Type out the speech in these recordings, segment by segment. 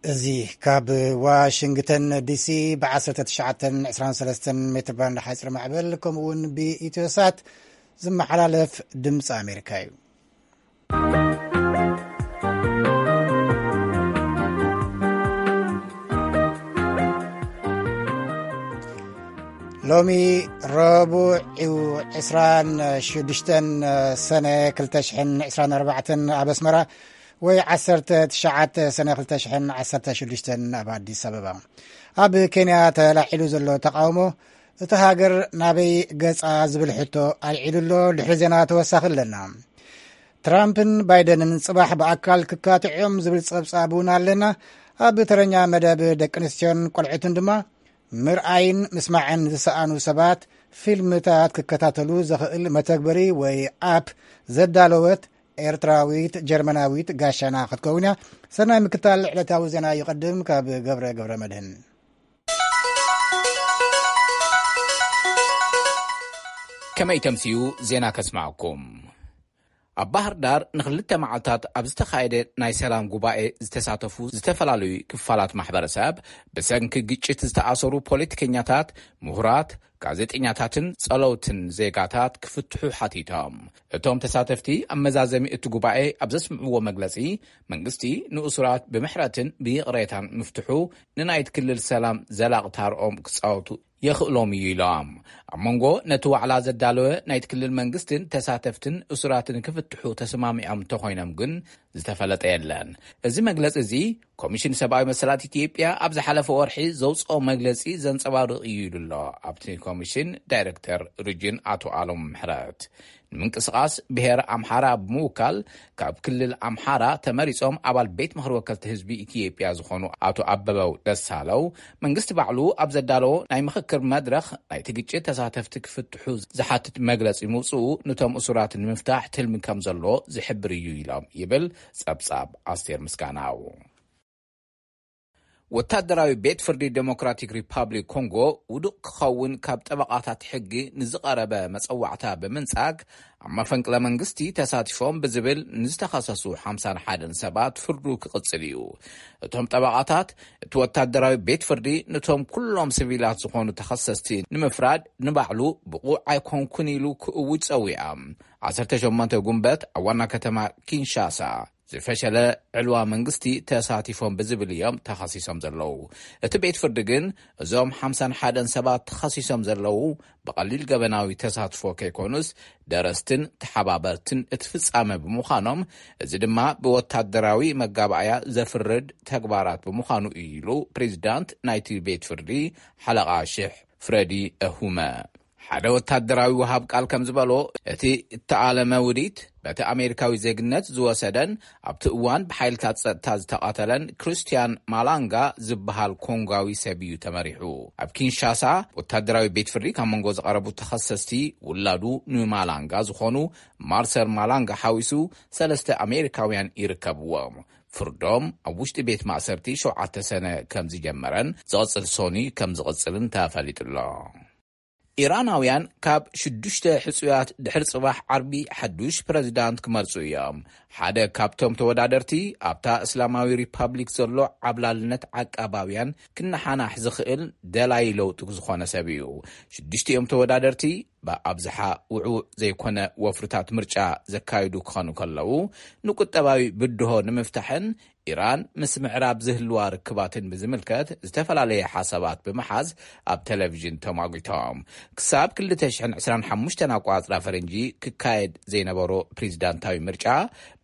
እዚ ካብ ዋሽንግተን ዲሲ ብ1923 ሜትር ባንድ ሓፂር ማዕበል ከምኡ እውን ብኢትዮሳት ዝመሓላለፍ ድምፂ ኣሜሪካ እዩ። ሎሚ ረቡዕ እዩ፣ ዕስራን ሽዱሽተን ሰነ ክልተ ሽሕን ዕስራን ኣርባዕተን ኣብ ኣስመራ፣ ወይ ዓሰርተ ትሽዓተ ሰነ ክልተ ሽሕን ዓሰርተ ሽዱሽተን ኣብ ኣዲስ ኣበባ። ኣብ ኬንያ ተላዒሉ ዘሎ ተቃውሞ፣ እቲ ሃገር ናበይ ገጻ ዝብል ሕቶ ኣልዒሉ ኣሎ። ድሕሪ ዜና ተወሳኺ ኣለና። ትራምፕን ባይደንን ጽባሕ ብኣካል ክካትዑ እዮም ዝብል ጸብጻብ እውን ኣለና። ኣብ ተረኛ መደብ ደቂ ኣንስትዮን ቆልዑትን ድማ ምርኣይን ምስማዕን ዝሰኣኑ ሰባት ፊልምታት ክከታተሉ ዘኽእል መተግበሪ ወይ ኣፕ ዘዳለወት ኤርትራዊት ጀርመናዊት ጋሻና ክትከውን እያ። ሰናይ ምክታል። ዕለታዊ ዜና ይቐድም ካብ ገብረ ገብረ መድህን። ከመይ ተምስዩ ዜና ከስማዕኩም። ኣብ ባህር ዳር ንክልተ መዓልታት ኣብ ዝተኻየደ ናይ ሰላም ጉባኤ ዝተሳተፉ ዝተፈላለዩ ክፋላት ማሕበረሰብ፣ ብሰንኪ ግጭት ዝተኣሰሩ ፖለቲከኛታት፣ ምሁራት፣ ጋዜጠኛታትን ጸለውትን ዜጋታት ክፍትሑ ሓቲቶም። እቶም ተሳተፍቲ ኣብ መዛዘሚ እቲ ጉባኤ ኣብ ዘስምዕዎ መግለጺ፣ መንግስቲ ንእሱራት ብምሕረትን ብይቕሬታን ምፍትሑ ንናይቲ ክልል ሰላም ዘላቒ ታርኦም ክጻወቱ የኽእሎም እዩ ኢሎም። ኣብ መንጎ ነቲ ዋዕላ ዘዳለወ ናይቲ ክልል መንግስትን ተሳተፍትን እሱራትን ክፍትሑ ተሰማሚዖም እንተኾይኖም ግን ዝተፈለጠ የለን። እዚ መግለጺ እዚ ኮሚሽን ሰብኣዊ መሰላት ኢትዮጵያ ኣብ ዝሓለፈ ወርሒ ዘውፅኦ መግለጺ ዘንጸባርቕ እዩ ኢሉ ኣሎ። ኣብቲ ኮሚሽን ዳይሬክተር ሪጅን ኣቶ ኣሎም ምሕረት፣ ንምንቅስቓስ ብሔር ኣምሓራ ብምውካል ካብ ክልል ኣምሓራ ተመሪጾም ኣባል ቤት ምኽሪ ወከልቲ ህዝቢ ኢትዮጵያ ዝኾኑ ኣቶ ኣበበው ደሳለው፣ መንግስቲ ባዕሉ ኣብ ዘዳለዎ ናይ ምኽክር መድረኽ ናይቲ ግጭት ተሳተፍቲ ክፍትሑ ዝሓትት መግለጺ ምውፅኡ፣ ንቶም እሱራት ንምፍታሕ ትልሚ ከም ዘሎ ዝሕብር እዩ ኢሎም ይብል ጸብጻብ ኣስቴር ምስጋናው። ወታደራዊ ቤት ፍርዲ ዴሞክራቲክ ሪፓብሊክ ኮንጎ ውዱቕ ክኸውን ካብ ጠበቓታት ሕጊ ንዝቐረበ መጸዋዕታ ብምንጻግ፣ ኣብ መፈንቅለ መንግስቲ ተሳቲፎም ብዝብል ንዝተኸሰሱ ሓምሳን ሓደን ሰባት ፍርዱ ክቕጽል እዩ። እቶም ጠበቓታት፣ እቲ ወታደራዊ ቤት ፍርዲ ነቶም ኩሎም ሲቪላት ዝኾኑ ተኸሰስቲ ንምፍራድ ንባዕሉ ብቑዕ ኣይኮንኩን ኢሉ ክእውጅ ጸዊዖም። ዓሰርተ ሸሞንተ ጉንበት ኣብ ዋና ከተማ ኪንሻሳ ዝፈሸለ ዕልዋ መንግስቲ ተሳቲፎም ብዝብል እዮም ተኸሲሶም ዘለዉ። እቲ ቤት ፍርዲ ግን፣ እዞም ሓምሳን ሓደን ሰባት ተኸሲሶም ዘለዉ ብቐሊል ገበናዊ ተሳትፎ ከይኮኑስ፣ ደረስትን ተሓባበርትን እቲ ፍጻመ ብምዃኖም፣ እዚ ድማ ብወታደራዊ መጋባእያ ዘፍርድ ተግባራት ብምዃኑ እዩ ኢሉ ፕሬዚዳንት ናይቲ ቤት ፍርዲ ሓለቓ ሽሕ ፍረዲ እሁመ። ሓደ ወታደራዊ ወሃብ ቃል ከም ዝበሎ፣ እቲ እተኣለመ ውዲት በቲ ኣሜሪካዊ ዜግነት ዝወሰደን ኣብቲ እዋን ብሓይልታት ጸጥታ ዝተቐተለን ክርስቲያን ማላንጋ ዝበሃል ኮንጓዊ ሰብ እዩ ተመሪሑ። ኣብ ኪንሻሳ ወታደራዊ ቤት ፍርዲ ካብ መንጎ ዝቐረቡ ተኸሰስቲ፣ ውላዱ ንማላንጋ ዝኾኑ ማርሰል ማላንጋ ሓዊሱ ሰለስተ ኣሜሪካውያን ይርከብዎም። ፍርዶም ኣብ ውሽጢ ቤት ማእሰርቲ ሸውዓተ ሰነ ከም ዝጀመረን ዝቕጽል ሶኒ ከም ዝቕጽልን ተፈሊጡ ኣሎ። ኢራናውያን ካብ ሽዱሽተ ሕጹያት ድሕሪ ጽባሕ ዓርቢ ሓዱሽ ፕረዚዳንት ክመርጹ እዮም። ሓደ ካብቶም ተወዳደርቲ ኣብታ እስላማዊ ሪፓብሊክ ዘሎ ዓብላልነት ዓቃባውያን ክነሓናሕ ዝኽእል ደላይ ለውጢ ዝኾነ ሰብ እዩ። ሽዱሽቲኦም ተወዳደርቲ ብኣብዝሓ ውዕውዕ ዘይኮነ ወፍርታት ምርጫ ዘካይዱ ክኾኑ ከለዉ፣ ንቁጠባዊ ብድሆ ንምፍታሕን ኢራን ምስ ምዕራብ ዝህልዋ ርክባትን ብዝምልከት ዝተፈላለየ ሓሳባት ብምሓዝ ኣብ ቴሌቪዥን ተሟጒቶም። ክሳብ ክልተ ሽሕን ዕስራን ሓሙሽተን ኣቋጽራ ፈረንጂ ክካየድ ዘይነበሮ ፕሬዚዳንታዊ ምርጫ፣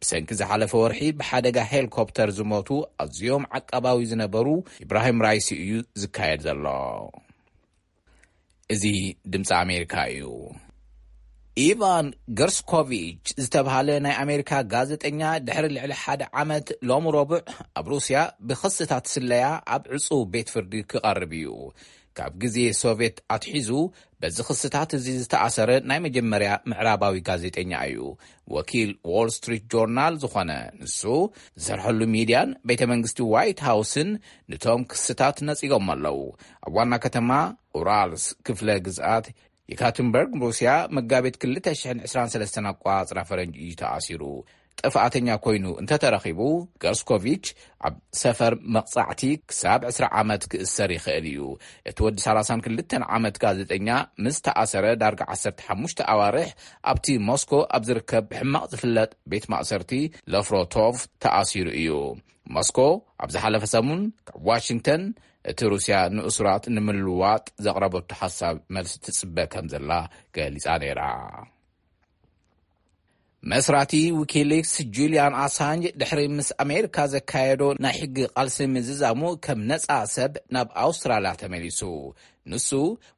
ብሰንኪ ዝሓለፈ ወርሒ ብሓደጋ ሄሊኮፕተር ዝሞቱ ኣዝዮም ዓቃባዊ ዝነበሩ ኢብራሂም ራይሲ እዩ ዝካየድ ዘሎ። እዚ ድምፂ ኣሜሪካ እዩ። ኢቫን ገርስኮቪች ዝተብሃለ ናይ ኣሜሪካ ጋዜጠኛ፣ ድሕሪ ልዕሊ ሓደ ዓመት፣ ሎም ረቡዕ ኣብ ሩስያ ብኽስታት ስለያ ኣብ ዕፁው ቤት ፍርዲ ክቐርብ እዩ። ካብ ግዜ ሶቭየት ኣትሒዙ በዚ ክስታት እዚ ዝተኣሰረ ናይ መጀመርያ ምዕራባዊ ጋዜጠኛ እዩ። ወኪል ዎል ስትሪት ጆርናል ዝኾነ ንሱ፣ ዝሰርሐሉ ሚድያን ቤተ መንግስቲ ዋይት ሃውስን ንቶም ክስታት ነጺጎም ኣለዉ። ኣብ ዋና ከተማ ኡራልስ ክፍለ ግዝኣት የካትንበርግ ሩስያ፣ መጋቢት ክልተ ሽሕን ዕስራን ሰለስተን ኣቋጽራ ፈረንጂ እዩ ተኣሲሩ። ጥፍኣተኛ ኮይኑ እንተተረኺቡ፣ ገርስኮቪች ኣብ ሰፈር መቕጻዕቲ ክሳብ ዕስራ ዓመት ክእሰር ይኽእል እዩ። እቲ ወዲ ሰላሳን ክልተን ዓመት ጋዜጠኛ ምስ ተኣሰረ ዳርጋ ዓሰርተ ሓሙሽተ ኣዋርሕ ኣብቲ ሞስኮ ኣብ ዝርከብ ብሕማቕ ዝፍለጥ ቤት ማእሰርቲ ለፍሮቶቭ ተኣሲሩ እዩ። ሞስኮ ኣብ ዝሓለፈ ሰሙን ካብ ዋሽንግተን እቲ ሩስያ ንእሱራት ንምልዋጥ ዘቕረበቶ ሓሳብ መልሲ ትጽበ ከም ዘላ ገሊጻ ነይራ። መስራቲ ዊኪሊክስ ጁልያን ኣሳንጅ ድሕሪ ምስ ኣሜሪካ ዘካየዶ ናይ ሕጊ ቃልሲ ምዝዛሙ ከም ነጻ ሰብ ናብ ኣውስትራልያ ተመሊሱ። ንሱ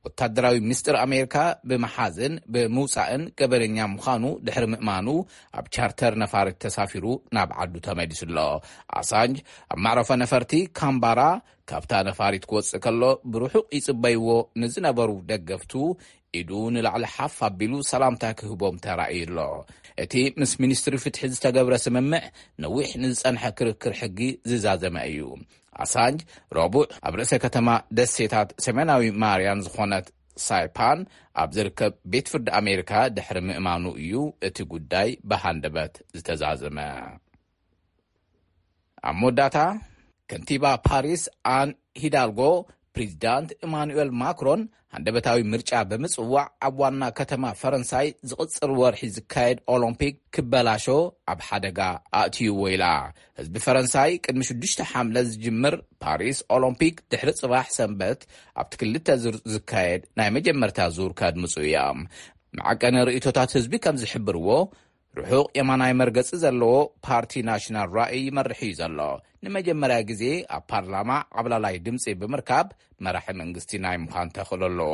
ወታደራዊ ምስጢር ኣሜሪካ ብምሓዝን ብምውጻእን ገበነኛ ምዃኑ ድሕሪ ምእማኑ ኣብ ቻርተር ነፋሪት ተሳፊሩ ናብ ዓዱ ተመሊሱ ኣሎ። ኣሳንጅ ኣብ መዕረፎ ነፈርቲ ካምባራ ካብታ ነፋሪት ክወጽእ ከሎ ብርሑቕ ይጽበይዎ ንዝነበሩ ደገፍቱ ኢዱ ንላዕሊ ሓፍ ኣቢሉ ሰላምታ ክህቦም ተራእዩ ኣሎ። እቲ ምስ ሚኒስትሪ ፍትሒ ዝተገብረ ስምምዕ ነዊሕ ንዝጸንሐ ክርክር ሕጊ ዝዛዘመ እዩ። ኣሳንጅ ረቡዕ ኣብ ርእሰ ከተማ ደሴታት ሰሜናዊ ማርያን ዝኾነት ሳይፓን ኣብ ዝርከብ ቤት ፍርዲ ኣሜሪካ ድሕሪ ምእማኑ እዩ እቲ ጉዳይ ብሃንደበት ዝተዛዘመ። ኣብ መወዳእታ፣ ከንቲባ ፓሪስ ኣን ሂዳልጎ ፕሬዚዳንት ኢማኑኤል ማክሮን ሃንደበታዊ ምርጫ ብምጽዋዕ ኣብ ዋና ከተማ ፈረንሳይ ዝቕጽር ወርሒ ዝካየድ ኦሎምፒክ ክበላሾ ኣብ ሓደጋ ኣእትይዎ ኢላ። ህዝቢ ፈረንሳይ ቅድሚ ሽዱሽተ ሓምለ ዝጅምር ፓሪስ ኦሎምፒክ ድሕሪ ጽባሕ ሰንበት ኣብቲ ክልተ ዙር ዝካየድ ናይ መጀመርታ ዙር ከድምጹ እዮም። መዐቀኒ ርእይቶታት ህዝቢ ከም ዝሕብርዎ፣ ርሑቕ የማናይ መርገጺ ዘለዎ ፓርቲ ናሽናል ራእይ ይመርሕ እዩ ዘሎ። ንመጀመርያ ግዜ ኣብ ፓርላማ ዓብላላይ ድምጺ ብምርካብ መራሒ መንግስቲ ናይ ምዃን ተኽእሎ ኣለዎ።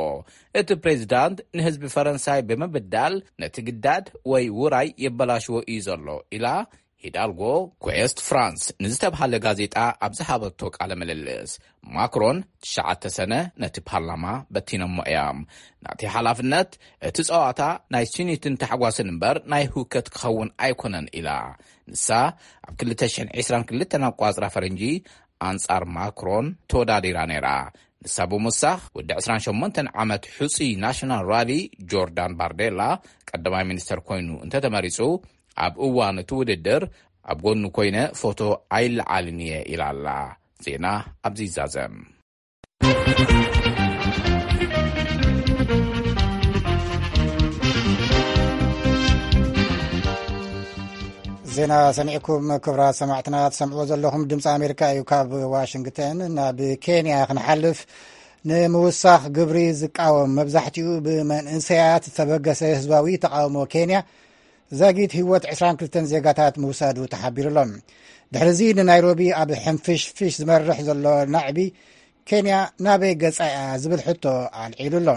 እቲ ፕሬዚዳንት ንህዝቢ ፈረንሳይ ብምብዳል ነቲ ግዳድ ወይ ውራይ የበላሽዎ እዩ ዘሎ ኢላ ሂዳልጎ ኩዌስት ፍራንስ ንዝተብሃለ ጋዜጣ ኣብ ዝሃበቶ ቃለ ምልልስ። ማክሮን ትሽዓተ ሰነ ነቲ ፓርላማ በቲኖሞ እዮም። ናተይ ሓላፍነት እቲ ጸዋታ ናይ ስኒትን ታሕጓስን እምበር ናይ ህውከት ክኸውን ኣይኮነን ኢላ። ንሳ ኣብ ክልተ ሽሕን ዕስራን ክልተን ኣቋጽራ ፈረንጂ ኣንጻር ማክሮን ተወዳዲራ ነይራ። ንሳ ብምውሳኽ ወዲ ዕስራን ሸሞንተን ዓመት ሕጹይ ናሽናል ራሊ ጆርዳን ባርዴላ ቀዳማይ ሚኒስተር ኮይኑ እንተተመሪጹ፣ ኣብ እዋን እቲ ውድድር ኣብ ጎኑ ኮይነ ፎቶ ኣይለዓልን እየ ኢላ ኣላ። ዜና ኣብዚ ይዛዘም። ዜና ሰሚዕኩም ክብራት ሰማዕትና ትሰምዕዎ ዘለኹም ድምፂ ኣሜሪካ እዩ። ካብ ዋሽንግተን ናብ ኬንያ ክንሓልፍ፣ ንምውሳኽ ግብሪ ዝቃወም መብዛሕትኡ ብመንእሰያት ዝተበገሰ ህዝባዊ ተቃውሞ ኬንያ ዛጊት ህይወት ዕስራን ክልተን ዜጋታት ምውሳዱ ተሓቢሩ ኣሎ። ድሕሪዚ ንናይሮቢ ኣብ ሕንፍሽፍሽ ዝመርሕ ዘሎ ናዕቢ ኬንያ ናበይ ገጻ እያ ዝብል ሕቶ ኣልዒሉ ኣሎ።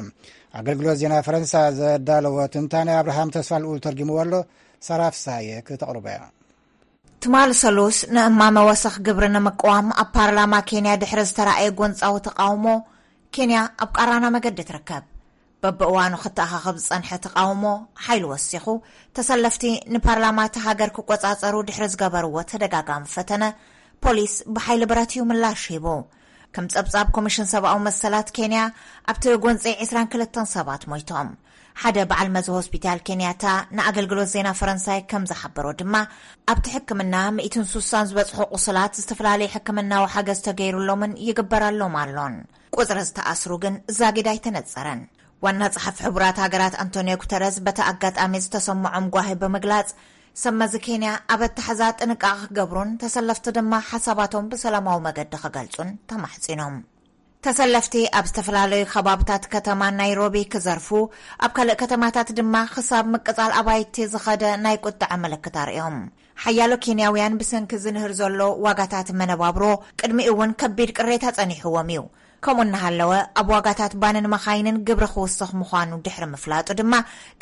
ኣገልግሎት ዜና ፈረንሳ ዘዳለዎ ትንታነ ኣብርሃም ተስፋ ልኡል ተርጊምዎ ኣሎ። ሳራ ፍሳየ ክተቕርቦ እያ። ትማል ሰሉስ ንእማመ ወሰኽ ግብሪ ንምቅዋም ኣብ ፓርላማ ኬንያ ድሕሪ ዝተራእየ ጎንጻዊ ተቃውሞ፣ ኬንያ ኣብ ቃራና መገዲ ትርከብ። በብእዋኑ ክተኣኻኸብ ዝጸንሐ ተቃውሞ ሓይሉ ወሲኹ፣ ተሰለፍቲ ንፓርላማ እታ ሃገር ክቆጻጸሩ ድሕሪ ዝገበርዎ ተደጋጋሚ ፈተነ፣ ፖሊስ ብሓይሊ ብረት እዩ ምላሽ ሂቡ። ከም ጸብጻብ ኮሚሽን ሰብኣዊ መሰላት ኬንያ፣ ኣብቲ ጎንጺ ዕስራን ክልተን ሰባት ሞይቶም። ሓደ በዓል መዚ ሆስፒታል ኬንያታ ንኣገልግሎት ዜና ፈረንሳይ ከም ዝሓበሮ ድማ፣ ኣብቲ ሕክምና ሚእትን ስሳን ዝበጽሑ ቁስላት ዝተፈላለየ ሕክምናዊ ሓገዝ ተገይሩሎምን ይግበረሎም ኣሎን። ቁጽሪ ዝተኣስሩ ግን ዛጊድ ኣይተነጸረን። ዋና ጸሓፊ ሕቡራት ሃገራት ኣንቶኒዮ ጉተረዝ በቲ ኣጋጣሚ ዝተሰምዖም ጓሂ ብምግላጽ፣ ሰብ መዚ ኬንያ ኣብ ኣተሓዛ ጥንቃቐ ክገብሩን ተሰለፍቲ ድማ ሓሳባቶም ብሰላማዊ መገዲ ክገልጹን ተማሕጺኖም። ተሰለፍቲ ኣብ ዝተፈላለዩ ከባብታት ከተማ ናይሮቢ ክዘርፉ፣ ኣብ ካልእ ከተማታት ድማ ክሳብ ምቅጻል ኣባይቲ ዝኸደ ናይ ቁጥዐ ምልክት ኣርእዮም። ሓያሎ ኬንያውያን ብሰንኪ ዝንህር ዘሎ ዋጋታት መነባብሮ ቅድሚኡ እውን ከቢድ ቅሬታ ጸኒሕዎም እዩ። ከምኡ እናሃለወ ኣብ ዋጋታት ባንን መኻይንን ግብሪ ክውስኽ ምዃኑ ድሕሪ ምፍላጡ ድማ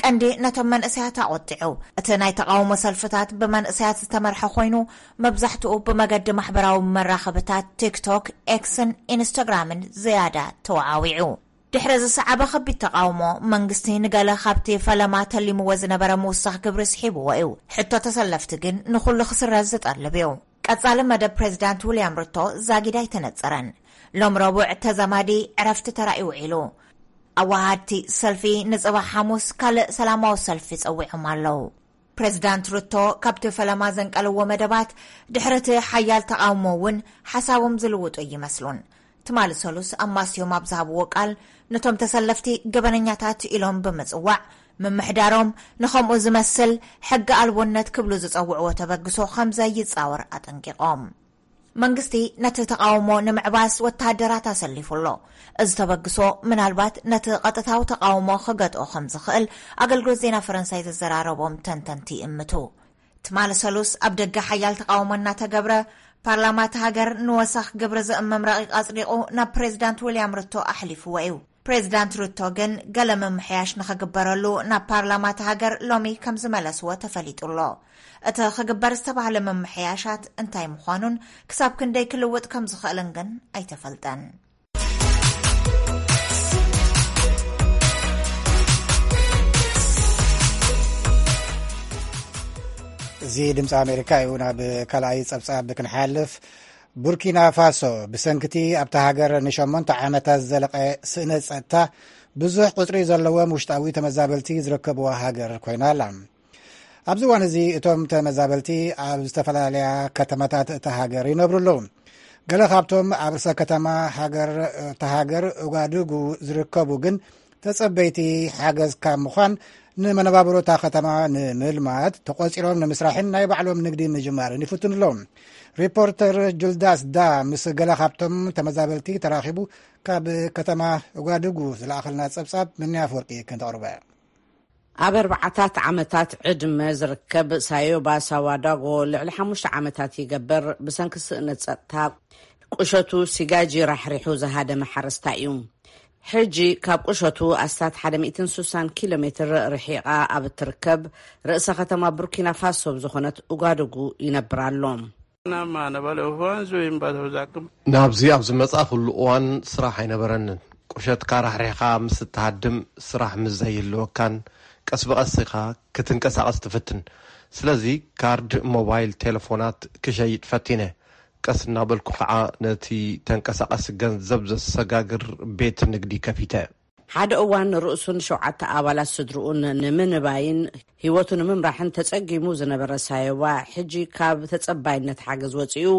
ቀንዲ ነቶም መንእሰያት ኣቖጢዑ። እቲ ናይ ተቓውሞ ሰልፍታት ብመንእሰያት ዝተመርሐ ኮይኑ፣ መብዛሕትኡ ብመገዲ ማሕበራዊ መራኸብታት ቲክቶክ፣ ኤክስን ኢንስታግራምን ዝያዳ ተወዓዊዑ። ድሕሪ ዝሰዓበ ከቢድ ተቓውሞ፣ መንግስቲ ንገለ ካብቲ ፈለማ ተሊምዎ ዝነበረ ምውሳኽ ግብሪ ስሒብዎ እዩ። ሕቶ ተሰለፍቲ ግን ንኹሉ ክስረዝ ዝጠልብ እዩ። ቀጻሊ መደብ ፕሬዚዳንት ዊልያም ሩቶ ዛጊድ ኣይተነጸረን። ሎም ረቡዕ ተዛማዲ ዕረፍቲ ተራእዩ ውዒሉ። ኣወሃድቲ ሰልፊ ንጽባሕ ሓሙስ ካልእ ሰላማዊ ሰልፊ ጸዊዖም ኣለዉ። ፕሬዚዳንት ሩቶ ካብቲ ፈለማ ዘንቀልዎ መደባት ድሕሪ እቲ ሓያል ተቓውሞ እውን ሓሳቦም ዝልውጡ ኣይመስሉን። ትማሊ ሰሉስ ኣብ ማስዮም ኣብ ዝሃብዎ ቃል፣ ነቶም ተሰለፍቲ ገበነኛታት ኢሎም ብምጽዋዕ፣ ምምሕዳሮም ንኸምኡ ዝመስል ሕጊ ኣልቦነት ክብሉ ዝጸውዕዎ ተበግሶ ከም ዘይጻወር ኣጠንቂቖም። መንግስቲ ነቲ ተቓውሞ ንምዕባስ ወተሃደራት ኣሰሊፉ ኣሎ። እዚ ተበግሶ ምናልባት ነቲ ቀጥታዊ ተቓውሞ ክገጥኦ ከም ዝኽእል ኣገልግሎት ዜና ፈረንሳይ ዘዘራረቦም ተንተንቲ ይእምቱ። ትማሊ ሰሉስ ኣብ ደገ ሓያል ተቓውሞ እናተገብረ፣ ፓርላማ እቲ ሃገር ንወሰኽ ግብሪ ዝእምም ረቂቕ ኣጽዲቑ ናብ ፕሬዚዳንት ዊልያም ሩቶ ኣሕሊፍዎ እዩ። ፕሬዚዳንት ሩቶ ግን ገለ ምምሕያሽ ንኽግበረሉ ናብ ፓርላማ እቲ ሃገር ሎሚ ከም ዝመለስዎ ተፈሊጡ ኣሎ። እቲ ክግበር ዝተባህለ ምምሕያሻት እንታይ ምዃኑን ክሳብ ክንደይ ክልውጥ ከም ዝኽእልን ግን ኣይተፈልጠን። እዚ ድምፂ ኣሜሪካ እዩ። ናብ ካልኣይ ፀብፃብ ክንሓልፍ፣ ቡርኪና ፋሶ ብሰንክቲ ኣብታ ሃገር ንሸሞንተ ዓመታት ዝዘለቐ ስእነት ፀጥታ ብዙሕ ቁፅሪ ዘለዎም ውሽጣዊ ተመዛበልቲ ዝርከብዋ ሃገር ኮይና ኣላ። ኣብዚ እዋን እዚ እቶም ተመዛበልቲ ኣብ ዝተፈላለያ ከተማታት እታ ሃገር ይነብሩ ኣለዉ። ገለ ካብቶም ኣብ ርእሰ ከተማ ሃገር፣ እታ ሃገር ኡጋዱጉ ዝርከቡ ግን ተጸበይቲ ሓገዝ ካብ ምዃን፣ ንመነባብሮ እታ ከተማ ንምልማት ተቖጺሮም ንምስራሕን ናይ ባዕሎም ንግዲ ምጅማርን ይፍትኑ ኣለዉ። ሪፖርተር ጁልዳስ ዳ ምስ ገለ ካብቶም ተመዛበልቲ ተራኺቡ ካብ ከተማ ኡጋዱጉ ዝለኣኸልና ጸብጻብ ምንያ ኣፈወርቂ ክንተቕርቦ እያ። ኣብ ኣርባዓታት ዓመታት ዕድመ ዝርከብ ሳዮባ ሳዋዳጎ ልዕሊ ሓሙሽተ ዓመታት ይገብር። ብሰንኪ ስእነት ጸጥታ፣ ቁሸቱ ሲጋጂ ራሕሪሑ ዝሃደመ ሓረስታይ እዩ። ሕጂ ካብ ቁሸቱ ኣስታት ሓደ ሚእትን ስሳን ኪሎ ሜትር ርሒቓ ኣብ እትርከብ ርእሰ ከተማ ቡርኪና ፋሶ ዝኾነት ኡጋዱጉ ይነብር ኣሎ። ናብዚ ኣብ ዝመጻእኩሉ እዋን ስራሕ ኣይነበረንን። ቁሸትካ ራሕሪሕካ ምስ እትሃድም፣ ስራሕ ምስ ዘይህልወካን ቀስ ብቐስ ኢኻ ክትንቀሳቐስ ትፍትን። ስለዚ ካርድ ሞባይል ቴሌፎናት ክሸይጥ ፈቲነ። ቀስ እናበልኩ ኸዓ ነቲ ተንቀሳቓሲ ገንዘብ ዘሰጋግር ቤት ንግዲ ከፊተ። ሓደ እዋን ርእሱን ሸውዓተ ኣባላት ስድርኡን ንምንባይን ህይወቱ ንምምራሕን ተጸጊሙ ዝነበረ ሳዮባ፣ ሕጂ ካብ ተጸባይነት ሓገዝ ወጺኡ፣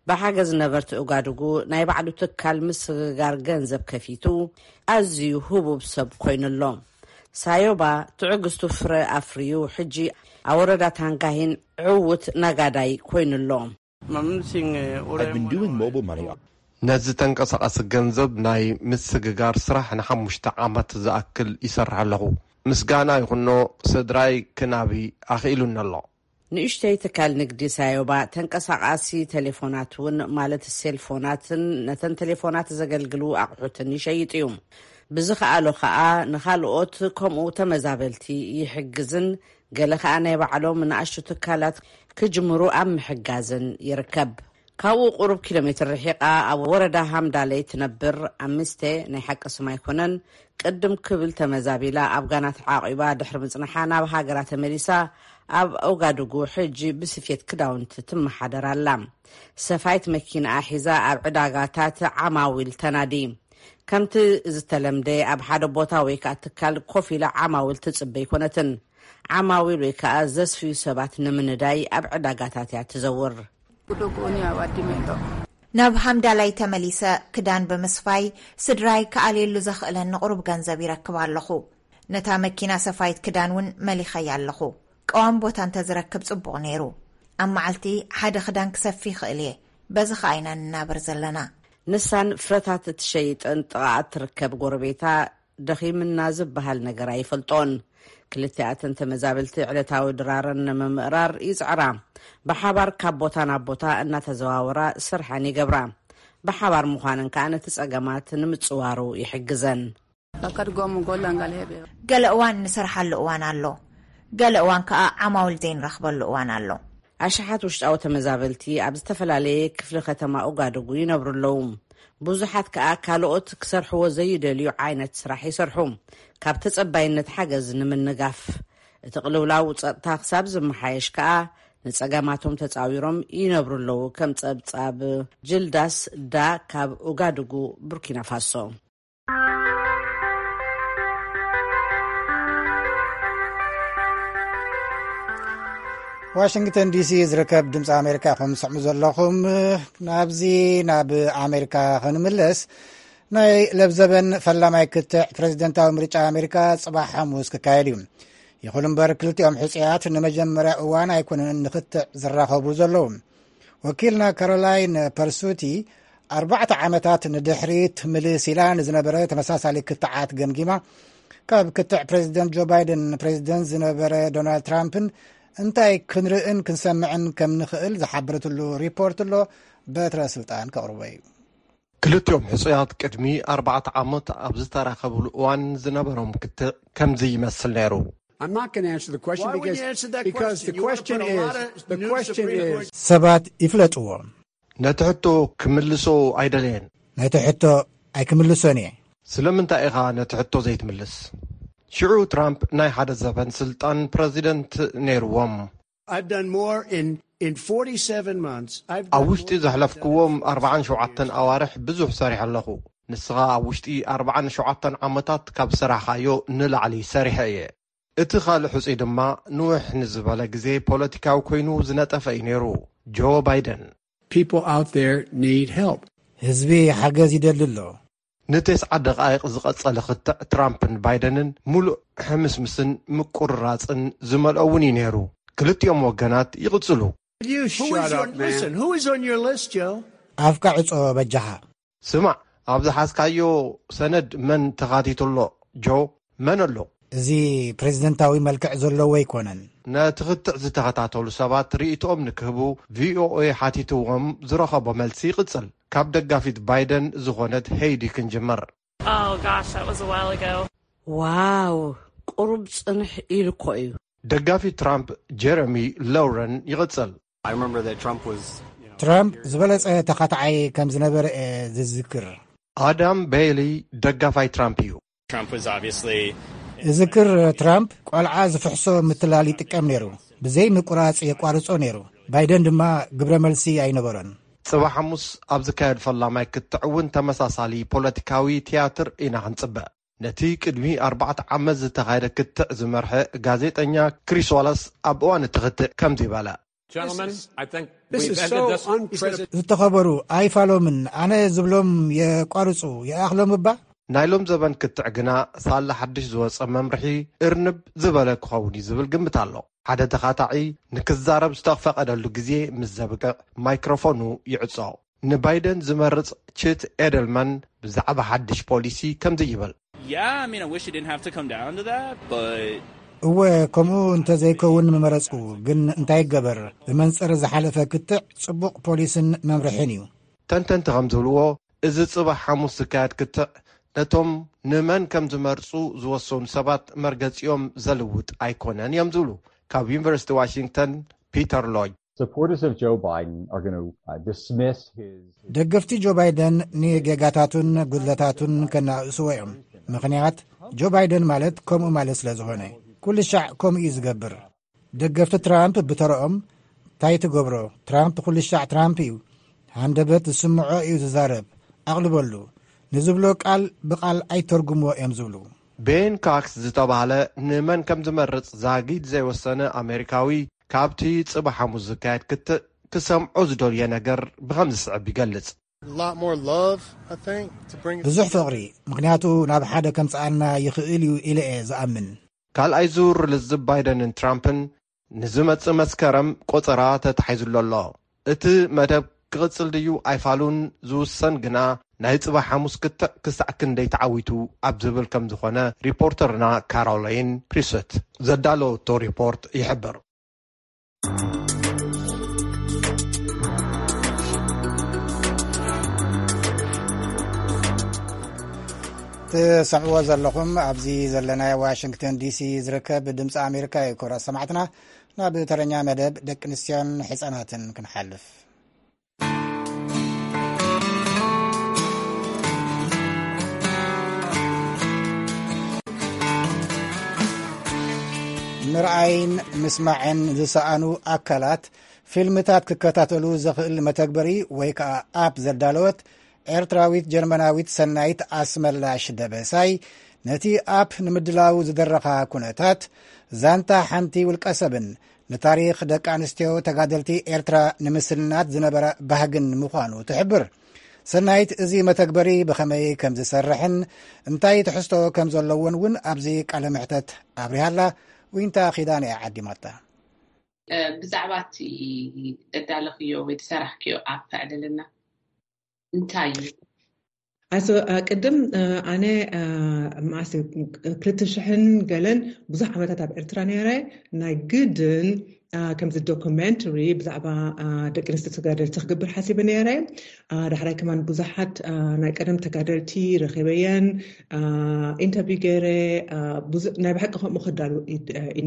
ብሓገዝ ነበርቲ ኡጋዱጉ ናይ ባዕሉ ትካል ምስግጋር ገንዘብ ከፊቱ፣ ኣዝዩ ህቡብ ሰብ ኮይኑሎ። ሳዮባ ትዕግስቱ ፍረ ኣፍርዩ፣ ሕጂ ኣብ ወረዳ ታንጋሂን ዕዉት ነጋዳይ ኮይኑሎ። I've been doing mobile money. ነዚ ተንቀሳቓሲ ገንዘብ ናይ ምስግጋር ስራሕ ንሓሙሽተ ዓመት ዝኣክል ይሰርሕ ኣለኹ። ምስጋና ይኹኖ፣ ስድራይ ክናቢ ኣኽኢሉኒ ኣሎ። ንእሽተይ ትካል ንግዲ ሳዮባ ተንቀሳቓሲ ቴሌፎናት እውን፣ ማለት ሴልፎናትን ነተን ቴሌፎናት ዘገልግሉ ኣቑሑትን ይሸይጥ እዩ። ብዝኸኣሎ ኸኣ ንኻልኦት ከምኡ ተመዛበልቲ ይሕግዝን ገለ ኸኣ ናይ ባዕሎም ንኣሽቱ ትካላት ክጅምሩ ኣብ ምሕጋዝን ይርከብ። ካብኡ ቁሩብ ኪሎ ሜትር ርሒቓ ኣብ ወረዳ ሃምዳለይ ትነብር ኣምስቴ፣ ናይ ሓቂ ስማ ኣይኮነን፣ ቅድም ክብል ተመዛቢላ ኣብ ጋና ተዓቂባ ድሕሪ ምጽንሓ ናብ ሃገራ ተመሊሳ ኣብ ኦጋዱጉ ሕጂ ብስፌት ክዳውንቲ ትመሓደር ኣላ። ሰፋይት መኪናኣ ሒዛ ኣብ ዕዳጋታት ዓማዊል ተናዲ። ከምቲ ዝተለምደ ኣብ ሓደ ቦታ ወይ ከኣ ትካል ኮፍ ኢላ ዓማዊል ትጽበ ኣይኮነትን። ዓማዊል ወይ ከኣ ዘስፍዩ ሰባት ንምንዳይ ኣብ ዕዳጋታት እያ ትዘውር። ናብ ሃምዳላይ ተመሊሰ ክዳን ብምስፋይ ስድራይ ክኣልየሉ ዘኽእለኒ ቁሩብ ገንዘብ ይረክብ ኣለኹ። ነታ መኪና ሰፋይት ክዳን እውን መሊኸያ ኣለኹ። ቀዋሚ ቦታ እንተዝረክብ ጽቡቕ ነይሩ። ኣብ መዓልቲ ሓደ ክዳን ክሰፊ ይኽእል እየ። በዚ ኸኣ ኢና ንናበር ዘለና። ንሳን ፍረታት እትሸይጥን ጥቓኣ እትርከብ ጎረቤታ ደኺምና ዝበሃል ነገር ኣይፈልጦን። ክልቲኣተን ተመዛበልቲ ዕለታዊ ድራረን ንምምእራር ይጽዕራ። ብሓባር ካብ ቦታ ናብ ቦታ እናተዘዋወራ ስርሐን ይገብራ። ብሓባር ምዃነን ከኣ ነቲ ጸገማት ንምጽዋሩ ይሕግዘን። ገለ እዋን ንሰርሓሉ እዋን ኣሎ፣ ገለ እዋን ከኣ ዓማዊል ዘይንረኽበሉ እዋን ኣሎ። ኣሽሓት ውሽጣዊ ተመዛበልቲ ኣብ ዝተፈላለየ ክፍሊ ከተማ ኦጋዱጉ ይነብሩ ኣለዉ። ብዙሓት ከኣ ካልኦት ክሰርሕዎ ዘይደልዩ ዓይነት ስራሕ ይሰርሑ፣ ካብ ተጸባይነት ሓገዝ ንምንጋፍ። እቲ ቅልውላው ጸጥታ ክሳብ ዝመሓየሽ ከኣ ንጸገማቶም ተጻዊሮም ይነብሩ ኣለዉ፣ ከም ጸብጻብ ጅልዳስ ዳ ካብ ኡጋዱጉ፣ ቡርኪና ፋሶ። ዋሽንግተን ዲሲ ዝርከብ ድምፂ ኣሜሪካ ኢኹም ትሰምዑ ዘለኹም። ናብዚ ናብ ኣሜሪካ ክንምለስ፣ ናይ ለብዘበን ፈላማይ ክትዕ ፕሬዚደንታዊ ምርጫ ኣሜሪካ ፅባሕ ሓሙስ ክካየድ እዩ። ይኹን እምበር ክልቲኦም ሕፁያት ንመጀመርያ እዋን ኣይኮነን ንክትዕ ዝራኸቡ ዘለዉ። ወኪልና ካሮላይን ፐርሱቲ ኣርባዕተ ዓመታት ንድሕሪት ምልስ ኢላ ንዝነበረ ተመሳሳሊ ክትዓት ገምጊማ፣ ካብ ክትዕ ፕሬዚደንት ጆ ባይደን ፕሬዚደንት ዝነበረ ዶናልድ ትራምፕን እንታይ ክንርእን ክንሰምዕን ከም ንኽእል ዝሓበረትሉ ሪፖርት ኣሎ። በትረ ስልጣን ከቕርቦ እዩ። ክልቲኦም ሕፁያት ቅድሚ ኣርባዕተ ዓመት ኣብ ዝተራኸብሉ እዋን ዝነበሮም ክትዕ ከምዚ ይመስል ነይሩ። I'm not going to answer the question because, because the question is, the question is, ሰባት ይፍለጥዎ። ነቲ ሕቶ ክምልሶ ኣይደለየን። ነቲ ሕቶ ኣይክምልሶን እየ። ስለምንታይ ኢኻ ነቲ ሕቶ ዘይትምልስ? ሽዑ ትራምፕ ናይ ሓደ ዘበን ስልጣን ፕረዚደንት ነይርዎም። I've done more in, in forty-seven months. I've ኣብ done ውሽጢ more ዘሕለፍክዎም ኣርባዓን ሸውዓተን ኣዋርሕ ብዙሕ ሰሪሐ ኣለኹ። ንስኻ ኣብ ውሽጢ ኣርባዓን ሸውዓተን ዓመታት ካብ ዝሰራሕካዮ ንላዕሊ ሰሪሐ እየ። እቲ ካልእ ሕጹይ ድማ ንውሕ ንዝበለ ግዜ ፖለቲካዊ ኮይኑ ዝነጠፈ እዩ ነይሩ፣ ጆ ባይደን። People out there need help. ህዝቢ ሓገዝ ይደሊ ኣሎ። ንተስዓ ደቓይቕ ዝቐጸለ ክትዕ ትራምፕን ባይደንን ምሉእ ሕምስምስን ምቁርራጽን ዝመልኦ እውን እዩ ነይሩ። ክልቲኦም ወገናት ይቕጽሉ። You shut up, man. Listen, who is on your list, Joe? ኣፍካ ዕጾ በጃኻ። ስማዕ፣ ኣብ ዝሓዝካዮ ሰነድ መን ተኻቲቱ ኣሎ ጆ? መን ኣሎ? እዚ ፕሬዚደንታዊ መልክዕ ዘለዎ ኣይኮነን። ነቲ ክትዕ ዝተኸታተሉ ሰባት ርእይቶኦም ንክህቡ ቪኦኤ ሓቲትዎም ዝረኸቦ መልሲ ይቕጽል። ካብ ደጋፊት ባይደን ዝኾነት ሄይዲ ክንጅምር። Oh gosh, that was a while ago. ዋው፣ ቁሩብ ጽንሕ ኢሉ እኮ እዩ። ደጋፊ ትራምፕ ጀረሚ ሎውረን ይቕጽል። I remember that Trump was, you know, ትራምፕ ዝበለጸ ተኻታዓይ ከም ዝነበረ እየ ዝዝክር። ኣዳም ቤይሊ ደጋፋይ ትራምፕ እዩ። Trump was obviously እዝክር፣ ትራምፕ ቆልዓ ዝፍሕሶ ምትላል ይጥቀም ነይሩ። ብዘይ ምቁራጽ የቋርጾ ነይሩ። ባይደን ድማ ግብረ መልሲ ኣይነበሮን። ጽባሕ ሓሙስ ኣብ ዝካየድ ፈላማይ ክትዕ እውን ተመሳሳሊ ፖለቲካዊ ትያትር ኢና ክንጽበ። ነቲ ቅድሚ ኣርባዕተ ዓመት ዝተኻየደ ክትዕ ዝመርሐ ጋዜጠኛ ክሪስ ዋላስ ኣብ እዋን እቲ ክትዕ ከምዚ በለ። Gentlemen, I think this we've is ended so this. Unprecedented. ዝተኸበሩ ኣይፋሎምን፣ ኣነ ዝብሎም የቋርጹ፣ ይኣኽሎም እባ። ናይ ሎም ዘበን ክትዕ ግና ሳላ ሓድሽ ዝወጸ መምርሒ እርንብ ዝበለ ክኸውን እዩ ዝብል ግምት ኣሎ። ሓደ ተኻታዒ ንክዛረብ ዝተፈቐደሉ ግዜ ምስ ዘብቅዕ ማይክሮፎኑ ይዕጾ። ንባይደን ዝመርጽ ችት ኤደልማን ብዛዕባ ሓድሽ ፖሊሲ ከምዚ ይብል። Yeah, I mean, I wish it didn't have to come down to that, but እወ፣ ከምኡ እንተዘይከውን ምመረጽኩ፣ ግን እንታይ ይገበር፣ ብመንጽር ዝሓለፈ ክትዕ ጽቡቕ ፖሊስን መምርሕን እዩ። ተንተንቲ ከም ዝብልዎ፣ እዚ ጽባሕ ሓሙስ ዝካየድ ክትዕ ነቶም ንመን ከም ዝመርጹ ዝወሰኑ ሰባት መርገጺኦም ዘልውጥ ኣይኮነን እዮም ዝብሉ ካብ ዩኒቨርሲቲ ዋሽንግተን ፒተር ሎጅ። Supporters of Joe Biden are going to uh, dismiss his. ደገፍቲ ጆ ባይደን ንጌጋታቱን ጉድለታቱን ከናእስዎ እዮም። ምኽንያት፣ ጆ ባይደን ማለት ከምኡ ማለት ስለ ዝኾነ፣ ኩሉ ሻዕ ከምኡ እዩ ዝገብር። ደገፍቲ ትራምፕ ብተረኦም፣ እንታይ ትገብሮ? ትራምፕ ኩሉ ሻዕ ትራምፕ እዩ። ሃንደበት ዝስምዖ እዩ ዝዛረብ። ኣቕልበሉ። ንዝብሎ ቃል ብቓል ኣይተርጉምዎ እዮም ዝብሉ። ቤን ካክስ ዝተባህለ ንመን ከም ዝመርጽ ዛጊድ ዘይወሰነ ኣሜሪካዊ፣ ካብቲ ጽባሕ ሓሙስ ዝካየድ ክትዕ ክሰምዖ ዝደልዮ ነገር ብኸም ዝስዕብ ይገልጽ። A lot more love, I think, to bring us ብዙሕ ፍቕሪ፣ ምኽንያቱ ናብ ሓደ ከምጽኣና ይኽእል እዩ ኢለ እየ ዝኣምን። ካልኣይ ዙር ልዝብ ባይደንን ትራምፕን ንዝመጽእ መስከረም ቆጸራ ተታሒዙሉ ኣሎ። እቲ መደብ ክቕጽል ድዩ ኣይፋሉን ዝውሰን ግና ናይ ጽባሕ ሓሙስ ክትዕ ክሳዕ ክንደይ ተዓዊቱ ኣብ ዝብል ከም ዝኾነ ሪፖርተርና ካሮላይን ፕሪሰት ዘዳለወቶ ሪፖርት ይሕብር። ትሰምዕዎ ዘለኹም ኣብዚ ዘለናዮ ዋሽንግተን ዲሲ ዝርከብ ድምፂ ኣሜሪካ እዩ። ክቡራት ሰማዕትና፣ ናብ ተረኛ መደብ ደቂ ኣንስትዮን ሕፃናትን ክንሓልፍ። ምርኣይን ምስማዕን ዝሰኣኑ ኣካላት ፊልምታት ክከታተሉ ዘኽእል መተግበሪ ወይ ከዓ ኣፕ ዘዳለወት ኤርትራዊት ጀርመናዊት ሰናይት ኣስመላሽ ደበሳይ፣ ነቲ ኣፕ ንምድላው ዝደረኻ ኩነታት፣ ዛንታ ሓንቲ ውልቀ ሰብን ንታሪኽ ደቂ ኣንስትዮ ተጋደልቲ ኤርትራ ንምስናድ ዝነበረ ባህግን ምዃኑ ትሕብር። ሰናይት እዚ መተግበሪ ብኸመይ ከም ዝሰርሕን እንታይ ትሕዝቶ ከም ዘለዎን እውን ኣብዚ ቃለ ምሕተት ኣብሪሃላ። ዊንታ ኺዳን እያ ዓዲማታ። ብዛዕባ እቲ እዳለኽዮ ወይ ዝሰራሕክዮ ኣፕ ዕልልና እንታይ እዩ? ኣሶ ቅድም ኣነ ማስ ክልተ ሽሕን ገለን ብዙሕ ዓመታት ኣብ ኤርትራ ነረ። ናይ ግድን ከምዚ ዶኩመንተሪ ብዛዕባ ደቂ ኣንስትዮ ተጋደልቲ ክገብር ሓሲበ ነረ። ዳሕራይ ከማን ብዙሓት ናይ ቀደም ተጋደልቲ ረኺበየን ኢንተርቪው ገይረ። ናይ ብሓቂ ከምኡ ክዳሉ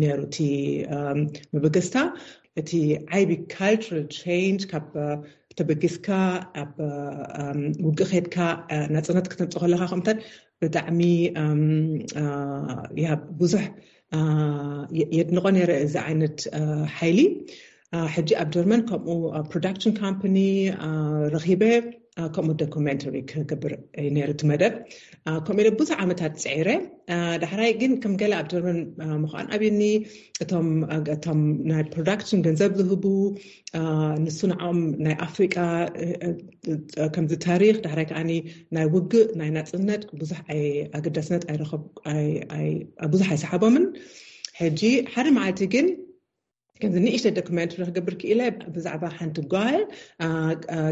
ነሩ እቲ መበገስታ። እቲ ዓይቢ ካልቸራል ቸንጅ ካብ ተበጊስካ ኣብ ውግእ ከድካ ናፅነት ክተምፅ ከለካ ከምታት ብጣዕሚ ብዙሕ የድንቆ ነረ እዚ ዓይነት ሓይሊ። ሕጂ ኣብ ጀርመን ከምኡ ፕሮዳክሽን ካምፓኒ ረኪበ። ከምኡ ዶኩመንተሪ ክገብር ነሩ እቲ መደብ። ከምኡ ኢለ ብዙሕ ዓመታት ፅዒረ። ዳሕራይ ግን ከም ገለ ኣብ ጀርመን ምኳን ኣብኒ እቶም ናይ ፕሮዳክሽን ገንዘብ ዝህቡ ንሱ ንዓኦም ናይ ኣፍሪቃ ከምዚ ታሪክ ዳሕራይ ከዓኒ ናይ ውግእ ናይ ናፅነት ብዙሕ ኣገዳስነት ኣይረከብ ብዙሕ ኣይሰሓቦምን። ሕጂ ሓደ መዓልቲ ግን ከምዚ ንእሽተ ዶክመንት ክገብር ክኢለ ብዛዕባ ሓንቲ ጓል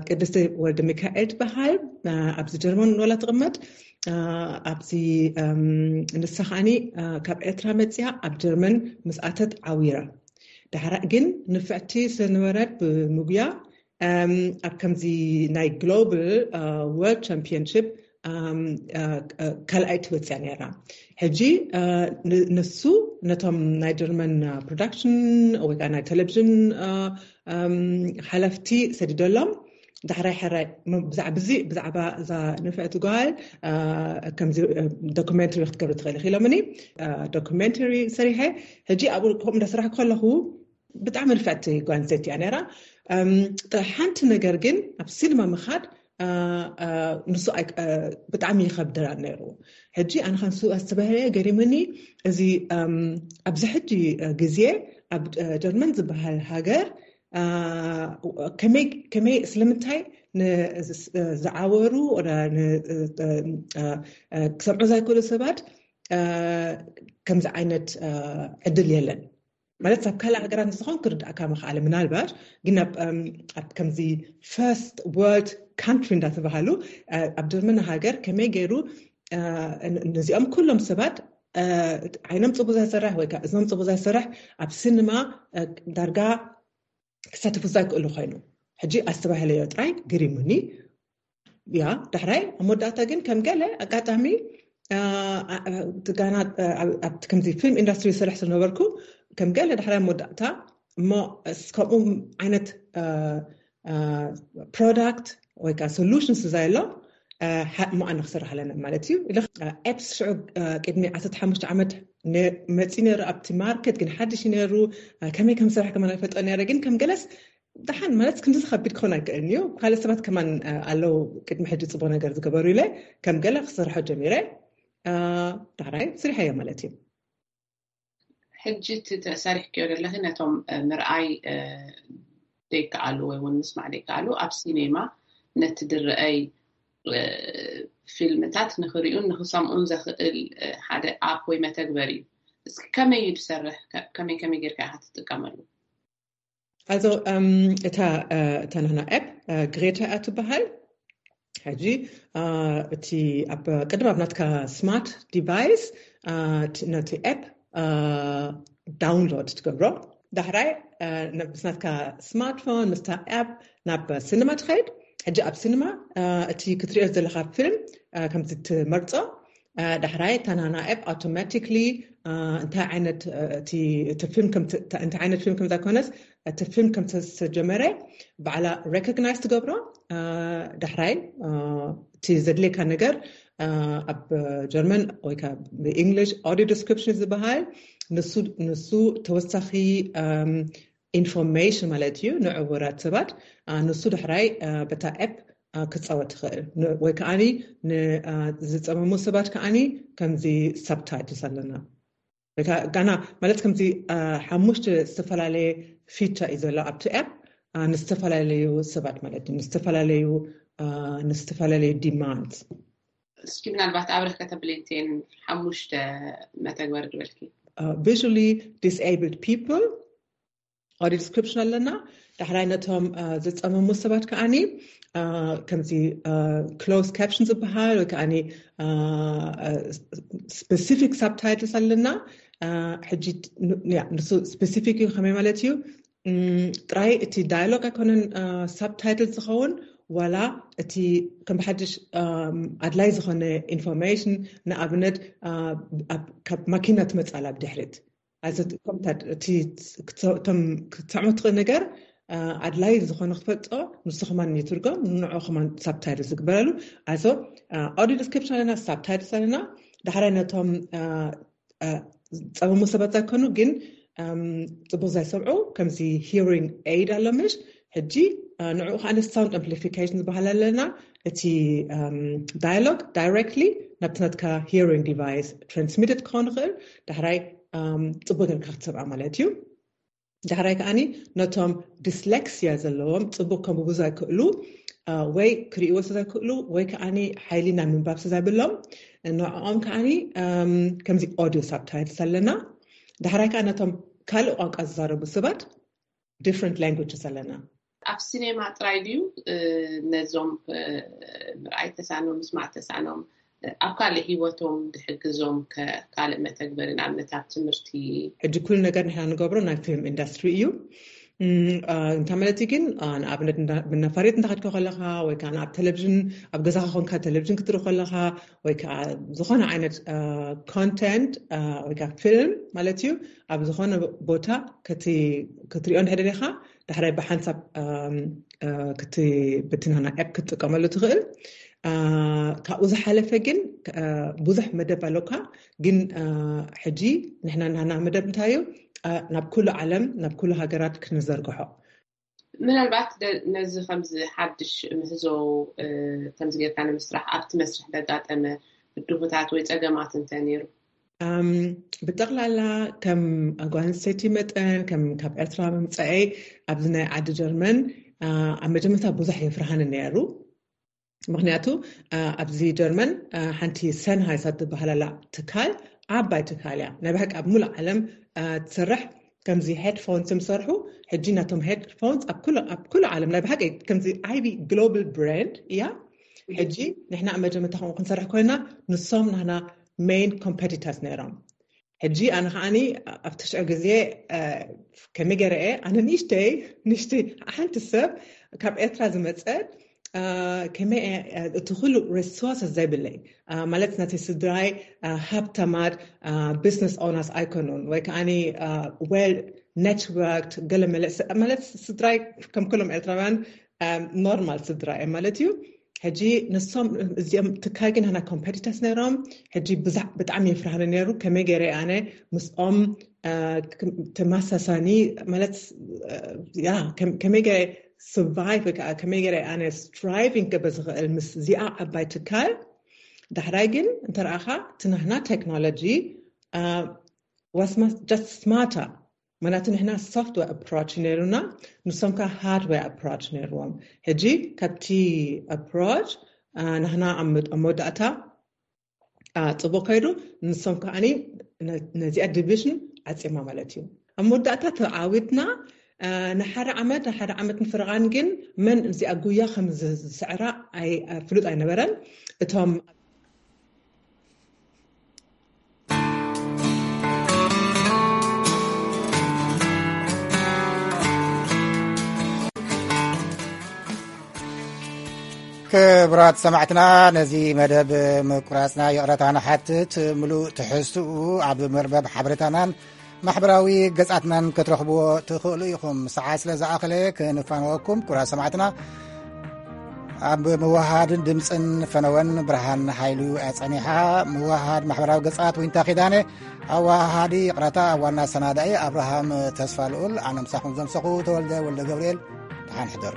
ቅድስቲ ወልደ ሚካኤል ትበሃል። ኣብዚ ጀርመን ወላ ትቕመጥ ኣብዚ ንሳ ከዓኒ ካብ ኤርትራ መፅያ ኣብ ጀርመን ምስኣተት ዓዊራ። ዳሕራ ግን ንፍዕቲ ስለነበረት ብምጉያ ኣብ ከምዚ ናይ ግሎባል ወርልድ ቻምፒዮንሽፕ ካልኣይ ትወፅያ ነራ። ሕጂ ንሱ ነቶም ናይ ጀርመን ፕሮዳክሽን ወይ ከዓ ናይ ቴሌቪዥን ሓለፍቲ ሰዲደሎም። ዳሕራይ ሕራይ ብዛዕባ እዚ ብዛዕባ እዛ ንፍዕቲ ጓል ከምዚ ዶኩመንተሪ ክትገብሪ ትኽእል ኢሎምኒ። ዶኩመንተሪ ሰሪሐ። ሕጂ ኣብኡ ከምኡ እንዳሰራሕ ከለኹ ብጣዕሚ ንፍዕቲ ጓል ኣንስተይቲ እያ ነራ። ሓንቲ ነገር ግን ኣብ ሲኒማ ምኻድ ንሱ ብጣዕሚ ይኸብደና ነይሩ። ሕጂ ኣነ ከንሱ ኣስተባህለ ገሪምኒ። እዚ ኣብዚ ሕጂ ግዜ ኣብ ጀርመን ዝበሃል ሃገር ከመይ ስለምንታይ ዝዓወሩ ክሰምዑ ዘይክእሉ ሰባት ከምዚ ዓይነት ዕድል የለን። ማለት ኣብ ካልእ ሃገራት ንዝኾን ክርዳእካ ምኽኣለ ምናልባት ግን ኣብ ከምዚ ፈርስት ወርልድ ካንትሪ እንዳተባሃሉ ኣብ ጀርመን ሃገር ከመይ ገይሩ ነዚኦም ኩሎም ሰባት ዓይኖም ፅቡቅ ዘይሰርሕ ወይ እዝኖም ፅቡቅ ዘይሰርሕ ኣብ ሲኒማ ዳርጋ ክሳተፉ ዘይክእሉ ኮይኑ ሕጂ ኣስተባህለዮ ጥራይ ግሪሙኒ። ያ ዳሕራይ ኣብ መወዳእታ ግን ከም ገለ ኣጋጣሚ ጋና ኣብቲ ከምዚ ፊልም ኢንዳስትሪ ዝሰርሕ ዝነበርኩ ከም ገለ ዳሕራይ ኣብ መወዳእታ እሞ ከምኡ ዓይነት ፕሮዳክት ወይ ከዓ ሶሉሽንስ ዘየሎ እሞ ኣነ ክሰርሕ ኣለና ማለት እዩ። ኤፕስ ሽዑ ቅድሚ ዓሰርተ ሓሙሽተ ዓመት መፂ ነሩ ኣብቲ ማርኬት ግን ሓድሽ ነሩ። ከመይ ከም ዝሰርሕ ከማን ኣይፈልጦ ነረ ግን ከም ገለስ ደሓን ማለት ክንዲ ዝኸቢድ ክኾን ኣይክእልን እዩ። ካልእ ሰባት ከማን ኣለዉ ቅድሚ ሕጂ ፅቡቅ ነገር ዝገበሩ ኢለ ከም ገለ ክሰርሖ ጀሚረ። ዳሕራይ ስሪሐዮ ማለት እዩ። ሕጂ እቲ ተሰሪሕክዮ ዘለኺ ነቶም ምርኣይ ዘይከኣሉ ወይ እውን ምስማዕ ዘይከኣሉ ኣብ ሲኔማ ነቲ ድረአይ ፊልምታት ንክሪኡን ንክሰምዑን ዘኽእል ሓደ ኣፕ ወይ መተግበር እዩ። እስኪ ከመይ እዩ ዝሰርሕ? ከመይ ከመይ ጌርካ ኢኻ ትጥቀመሉ? ኣዞ እታ እታ ናህና ኣፕ ግሬታ እያ ትበሃል። ሕጂ እቲ ኣብ ቅድም ኣብ ናትካ ስማርት ዲቫይስ ነቲ ኣፕ ዳውንሎድ ትገብሮ። ዳሕራይ ምስ ናትካ ስማርትፎን ምስታ ኣፕ ናብ ሲኒማ ትኸይድ። ሕጂ ኣብ ሲኒማ እቲ ክትሪኦ ዘለካ ፊልም ከምዚ ትመርፆ። ዳሕራይ እታ ናህና ኣፕ ኣውቶማቲክሊ እንታይ ዓይነት ፊልም ከም ዘይኮነስ እቲ ፊልም ከም ዝተጀመረ ባዕላ ሬኮግናይዝ ትገብሮ። ዳሕራይ እቲ ዘድልየካ ነገር ኣብ ጀርመን ወይ ብእንግሊሽ ኦዲዮ ዲስክሪፕሽን ዝበሃል ንሱ ተወሳኺ ኢንፎርሜሽን ማለት እዩ ንዕውራት ሰባት። ንሱ ዳሕራይ በታ ኣፕ ክፃወት ትኽእል ወይ ከዓኒ ዝፀመሙ ሰባት ከዓኒ ከምዚ ሳብታይትልስ ኣለና። ጋና ማለት ከምዚ ሓሙሽተ ዝተፈላለየ ፊቸር እዩ ዘሎ ኣብቲ ኣፕ፣ ንዝተፈላለዩ ሰባት ማለት እዩ፣ ንዝተፈላለዩ ንዝተፈላለዩ ዲማንድ። እስኪ ምናልባት ኣብረክ ከተብለይንቴን ሓሙሽተ መተግበር ድበልኪ። Visually disabled people፣ audio description ኣለና። ዳሕራይ ነቶም ዝፀመሙ ሰባት ከዓኒ ከምዚ ክሎዝ ካፕሽን ዝበሃል ወይ ከዓኒ ስፔሲፊክ ሳብታይትልስ ኣለና። ሕጂ ንሱ ስፔሲፊክ እዩ። ከመይ ማለት እዩ? ጥራይ እቲ ዳያሎግ ኣይኮነን ሳብታይትል ዝኸውን፣ ዋላ እቲ ከም ብሓድሽ ኣድላይ ዝኾነ ኢንፎርሜሽን፣ ንኣብነት ካብ ማኪና ትመፃላ ብድሕሪት፣ እቶም ክትሰምዖ ትኽእል ነገር ኣድላይ ዝኾነ ክትፈልጦ፣ ንሱ ከማን ይትርጎም፣ ንዑ ከማን ሳብታይትል ዝግበረሉ። ኣዞ ኦዲዮ ዲስክሪፕሽን ኣለና፣ ሳብታይትልስ ኣለና። ዳሕራይ ነቶም ዝፀመሙ ሰባት ዘይኮኑ ግን ፅቡቅ ዘይሰምዑ፣ ከምዚ ሂሪንግ ኤድ ኣሎ ምሽ፣ ሕጂ ንዕኡ ከዓ ሳውንድ ኣምፕሊፊኬሽን ዝበሃል ኣለና። እቲ ዳያሎግ ዳይሬክትሊ ናብቲ ናትካ ሂሪንግ ዲቫይስ ትራንስሚትድ ክኸውን ይኽእል። ዳሕራይ ፅቡቅ ጌርካ ክትሰምዓ ማለት እዩ። ዳሕራይ ከዓኒ ነቶም ዲስሌክሲያ ዘለዎም፣ ፅቡቅ ከንብቡ ዘይክእሉ ወይ ክርእይዎ ዘይክእሉ ወይ ከዓኒ ሓይሊ ናይ ምንባብ ዘይብሎም፣ ንዕኦም ከዓኒ ከምዚ ኦዲዮ ሳብታይትልስ ኣለና። ዳሕራይ ከዓ ነቶም ካልእ ቋንቋ ዝዛረቡ ሰባት ዲፍረንት ላንጉጅስ ኣለና። ኣብ ሲኔማ ጥራይ ድዩ ነዞም ምርኣይ ተሳኖም፣ ምስማዕ ተሳኖም ኣብ ካልእ ህይወቶም ድሕግዞም ካልእ መተግበሪ፣ ንኣብነት ኣብ ትምህርቲ? ሕጂ ኩሉ ነገር ንሕና ንገብሮ ናይ ፊልም ኢንዱስትሪ እዩ። እንታይ ማለት እዩ ግን? ንኣብነት ነፋሪት እንተኸድካ ከለኻ ወይ ከዓ ኣብ ቴሌቪዥን፣ ኣብ ገዛኻ ኮንካ ቴሌቪዥን ክትርኢ ከለኻ ወይ ከዓ ዝኾነ ዓይነት ኮንተንት ወይ ከዓ ፊልም ማለት እዩ፣ ኣብ ዝኾነ ቦታ ክትሪኦ እንድሕር ደሊኻ፣ ዳሕራይ ብሓንሳብ ክትብትንና ኤፕ ክትጥቀመሉ ትኽእል። ካብኡ ዝሓለፈ ግን ብዙሕ መደብ ኣለካ። ግን ሕጂ ንሕና ናና መደብ እንታይ እዩ? ናብ ኩሉ ዓለም፣ ናብ ኩሉ ሃገራት ክንዘርግሖ። ምናልባት ነዚ ከምዚ ሓድሽ ምህዞ ከምዚ ጌርካ ንምስራሕ ኣብቲ መስርሕ ዘጋጠመ ብድሆታት ወይ ፀገማት እንተ ነይሩ? ብጠቕላላ ከም ጓል ኣንስተይቲ መጠን፣ ከም ካብ ኤርትራ ምምፀአይ ኣብዚ ናይ ዓዲ ጀርመን ኣብ መጀመርታ ብዙሕ የፍርሃኒ ነይሩ። ምክንያቱ ኣብዚ ጀርመን ሓንቲ ሰንሃይስ ትበሃል ኣላ ትካል፣ ዓባይ ትካል እያ ናይ ብሓቂ ኣብ ሙሉእ ዓለም ትሰርሕ። ከምዚ ሄድፎንስ ዝሰርሑ ሕጂ ናቶም ሄድፎንስ ኣብ ኩሉ ዓለም ናይ ብሓቂ ከምዚ ዓቢ ግሎባል ብራንድ እያ። ሕጂ ንሕና ኣብ መጀመርታ ከምኡ ክንሰርሕ ኮይና ንሶም ናህና ሜን ኮምፐቲተርስ ነይሮም። ሕጂ ኣነ ከዓኒ ኣብቲ ሽዑ ግዜ ከመይ ገይረ እየ፣ ኣነ ንእሽተይ ንእሽተይ ሓንቲ ሰብ ካብ ኤርትራ ዝመፀት ከመይ እቲ ኩሉ ሪሶርስ ዘይብለይ ማለት ናተይ ስድራይ ሃብታማት ቢዝነስ ኦነርስ ኣይኮኑን ወይ ከዓኒ ዌል ኔትወርክድ ገለ መለ ማለት ስድራይ ከም ኩሎም ኤርትራውያን ኖርማል ስድራ እዮም ማለት እዩ። ሕጂ ንሶም እዚኦም ትካል ግን ናና ኮምፐቲተርስ ነይሮም። ሕጂ ብጣዕሚ የፍርሃኒ ነይሩ ከመይ ገይረ ኣነ ምስኦም ተመሳሳኒ ማለት ያ ከመይ ገይረ ሰርቫይቭ ወይ ከዓ ከመይ ገይረ ኣነ ስትራይቪንግ ክገብር ዝኽእል ምስ እዚኣ ዓባይ ትካል። ዳሕራይ ግን እንተረኣኻ እቲ ናህና ቴክኖሎጂ ዋስ ጀስት ስማርተር። ምክንያቱ ንሕና ሶፍትዌር ኣፕሮች ነይሩና፣ ንሶም ከዓ ሃርድዌር ኣፕሮች ነይርዎም። ሕጂ ካብቲ ኣፕሮች ናህና ኣብ መወዳእታ ፅቡቅ ከይዱ፣ ንሶም ከዓኒ ነዚኣ ዲቪዥን ዓፂማ ማለት እዩ። ኣብ መወዳእታ ተዓዊትና ንሓደ ዓመት ንሓደ ዓመት ንፍርቓን ግን መን እዚኣ ጉያ ከም ዝስዕራ ፍሉጥ ኣይነበረን። እቶም ክቡራት ሰማዕትና፣ ነዚ መደብ ምቁራፅና ይቕረታ ንሓትት። ምሉእ ትሕዝትኡ ኣብ መርበብ ሓበሬታናን ማሕበራዊ ገጻትናን ክትረኽብዎ ትኽእሉ ኢኹም። ሰዓት ስለ ዝኣኸለ ክንፋነወኩም። ክቡራት ሰማዕትና፣ ኣብ ምውሃድን ድምፅን ፈነወን ብርሃን ሓይሉ ኣጸኒሓ። ምውሃድ ማሕበራዊ ገጻት ዊንታ ኪዳነ፣ ኣወሃሃዲ ይቕረታ ኣብ ዋና ኣሰናዳኢ ኣብርሃም ተስፋ ልኡል፣ ኣነ ምሳኹም ዘምሰኹ ተወልደ ወልደ ገብርኤል። ደሓን ሕደሩ።